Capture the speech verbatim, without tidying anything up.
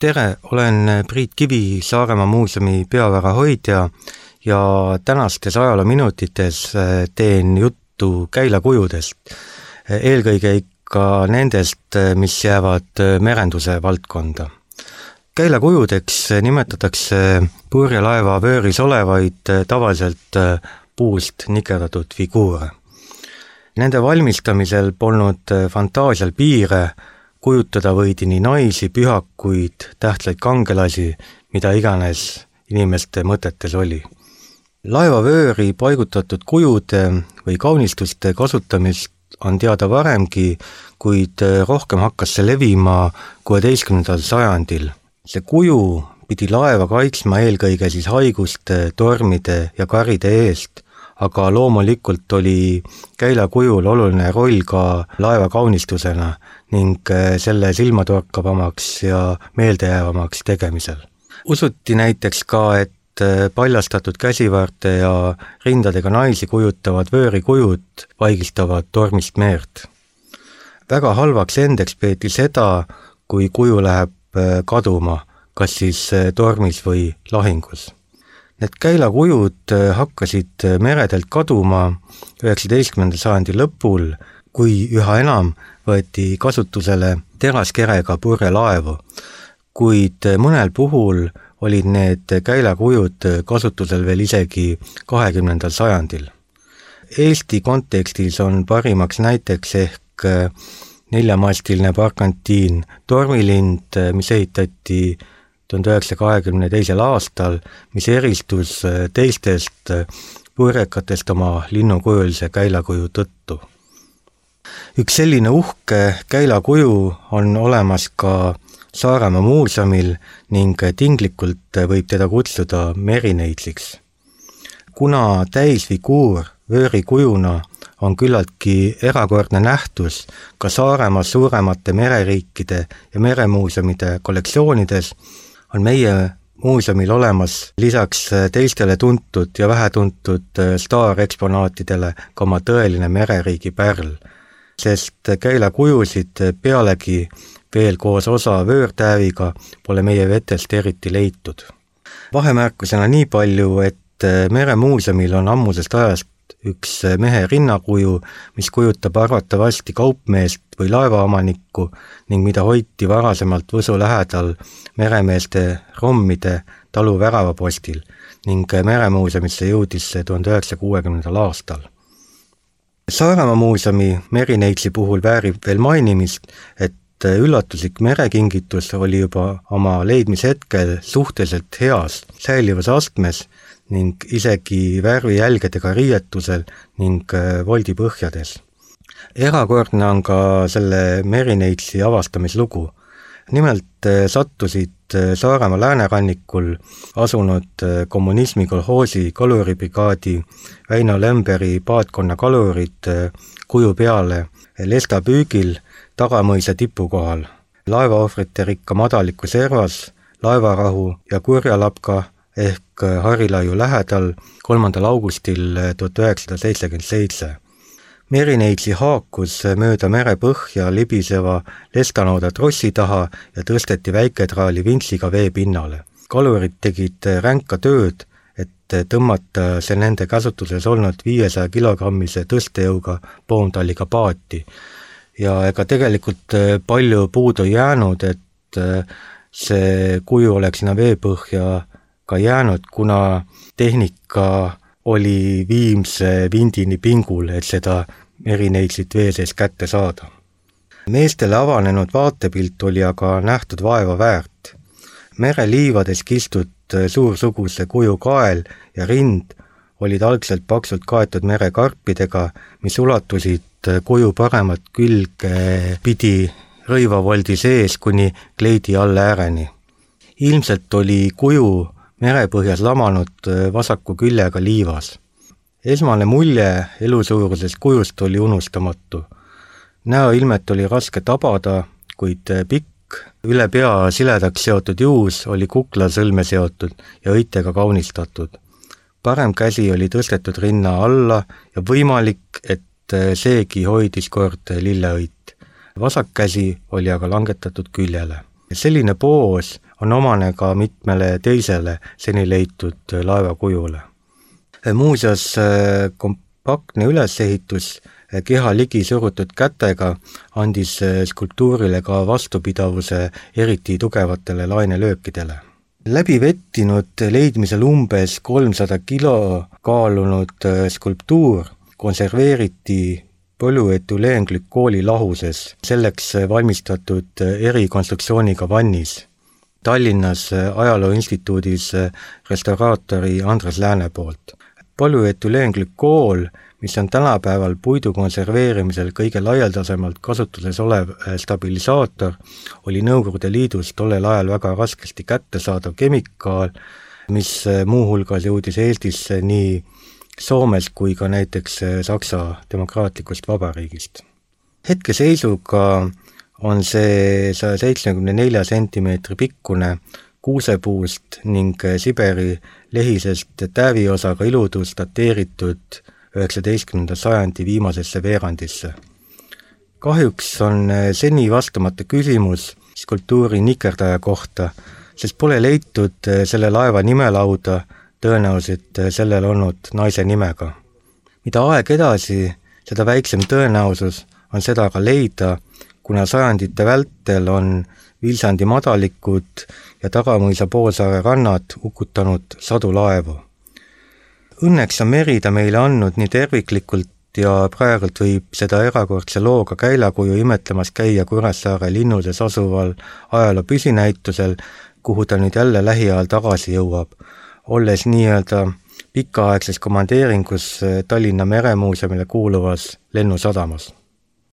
Tere, olen Priit Kivi, Saaremaa muuseumi peavara hoidja ja tänastes ajaloominutites teen juttu käilakujudest. Eelkõige ikka nendest, mis jäävad merenduse valdkonda. Käilakujudeks nimetatakse purjelaeva vööris olevaid tavaliselt puust nikerdatud figuure. Nende valmistamisel polnud fantaasial piire, kujutada võidi nii naisi, pühakuid, tähtsaid kangelasi, mida iganes inimeste mõtetes oli. Laevavööri paigutatud kujude või kaunistuste kasutamist on teada varemgi, kuid rohkem hakkas see levima kuueteistkümnendal sajandil. See kuju pidi laeva kaitsma eelkõige siis haiguste, tormide ja karide eest, aga loomulikult oli käilakujul oluline roll ka laeva kaunistusena ning selle silmatorkavamaks ja meeldejäävamaks tegemisel. Usuti näiteks ka, et paljastatud käsivaarte ja rindadega naisi kujutavad vöörikujud vaigistavad tormist meert. Väga halvaks endeks peeti seda, kui kuju läheb kaduma, kas siis tormis või lahingus. Need käilakujud hakkasid meredelt kaduma üheksateistkümnenda sajandi lõpul, kui üha enam võeti kasutusele teraskerega purjelaevu, kuid mõnel puhul olid need käilakujud kasutusel veel isegi kahekümnendal sajandil. Eesti kontekstis on parimaks näiteks ehk neljamastiline barkantiin Tormilind, mis ehitati tuhande üheksasaja kahekümne teisel aastal, mis eristus teistest purjekatest oma linnukujulise käilakuju tõttu. Üks selline uhke käilakuju on olemas ka Saaremaa muuseumil ning tinglikult võib teda kutsuda merineidsiks. Kuna täisfiguur vöörikujuna on küllaltki erakordne nähtus ka Saaremaa suuremate mereriikide ja meremuuseumide kollektsioonides, on meie muuseumil olemas lisaks teistele tuntud ja vähetuntud staareksponaatidele ka oma tõeline mereriigi pärl, sest käilakujusid pealegi veel koos osa vöörtääviga pole meie vetest eriti leitud. Vahemärkusena nii palju, et meremuuseumil on ammusest ajast üks mehe rinnakuju, mis kujutab arvatavasti kaupmeest või laevaomanikku ning mida hoiti varasemalt Võsu lähedal meremeeste rommide talu väravapostil ning meremuuseumisse jõudis tuhande üheksasaja kuuekümnendal aastal. Saaremaa muuseumi merineitsi puhul väärib veel mainimist, et üllatuslik merekingitus oli juba oma leidmise hetkel suhteliselt heas säilivas astmes ning isegi värvijälgedega riietusel ning voldipõhjades. Erakordne on ka selle merineitsi avastamislugu. Nimelt sattusid Saaremaa läänerannikul asunud kommunismi kolhoosi kaluribrigaadi Väino Lemberi paatkonna kalurid kuju peale lestapüügil Tagamõisa tipu kohal. Laevaohvrite rikka madaliku servas, laevarahu ja kurjalapka ehk Harilaiu lähedal kolmandal augustil tuhat üheksasada seitsekümmend seitse. Merineitsi haakus mööda merepõhja libiseva lestanooda trossi taha ja tõsteti väiketraali vintsiga vee pinnale. Kalurid tegid ränka tööd, et tõmmata see nende käsutuses olnud viiesaja kilogrammise tõstejõuga poomtalliga paati. Ja ega tegelikult palju puudu jäänud, et see kuju oleks sinna veepõhja ka jäänud, kuna tehnika oli viimse vindini pingul, et seda merineitsit vee sees kätte saada. Meestele avanenud vaatepilt oli aga nähtud vaeva väärt. Mereliivades kistud suursuguse kuju kael ja rind olid algselt paksult kaetud merekarpidega, mis ulatusid kuju paremat külge pidi rõivavoldi sees kuni kleidi alla ääreni. Ilmselt oli kuju merepõhjas lamanud vasaku küljega liivas. Esmane mulje elusuurusest kujust oli unustamatu. Näoilmet oli raske tabada, kuid pikk, üle pea siledaks seotud juus oli kuklasõlme seotud ja õitega kaunistatud. Parem käsi oli tõstetud rinna alla ja võimalik, et seegi hoidis kord lilleõit. Vasak käsi oli aga langetatud küljele. Selline poos on omane ka mitmele teisele seni leitud laevakujule. Muuseas, kompaktne ülesehitus keha ligi surutud kätega andis skulptuurile ka vastupidavuse eriti tugevatele lainelöökidele. Läbi vettinud leidmisel umbes kolmsada kilo kaalunud skulptuur konserveeriti polüetüleenglükooli lahuses, selleks valmistatud erikonstruktsiooniga vannis. Tallinnas Ajaloo Instituudis restauraatori Andres Lääne poolt. Polüetüleenglükool, mis on tänapäeval puidu konserveerimisel kõige laialdasemalt kasutuses olev stabilisaator, oli Nõukogude Liidus tollel ajal väga raskesti kättesaadav kemikaal, mis muuhulgas jõudis Eestisse nii Soomes kui ka näiteks Saksa demokraatlikust vabariigist. Hetkeseisuga on see saja seitsmekümne nelja sentimeetri pikkune kuusepuust ning Siberi lehisest täviosaga iludus dateeritud üheksateistkümnenda sajandi viimasesse veerandisse. Kahjuks on seni vastamata küsimus skulptuuri nikerdaja kohta, sest pole leitud selle laeva nimelauda, tõenäoliselt sellel olnud naise nimega. Mida aeg edasi, seda väiksem tõenäosus on seda ka leida, kuna sajandite vältel on Vilsandi madalikud ja Tagamõisa poolsaare rannad ukutanud sadu laevu. Õnneks on Merida meile andnud nii terviklikult ja praegult võib seda erakordse looga käilakuju imetlemas käia Kuressaare linnuses asuval ajaloo püsinäitusel, kuhu ta nüüd jälle lähiajal tagasi jõuab, olles nii-öelda pikaaegses komandeeringus Tallinna Meremuuseumile kuuluvas lennusadamas.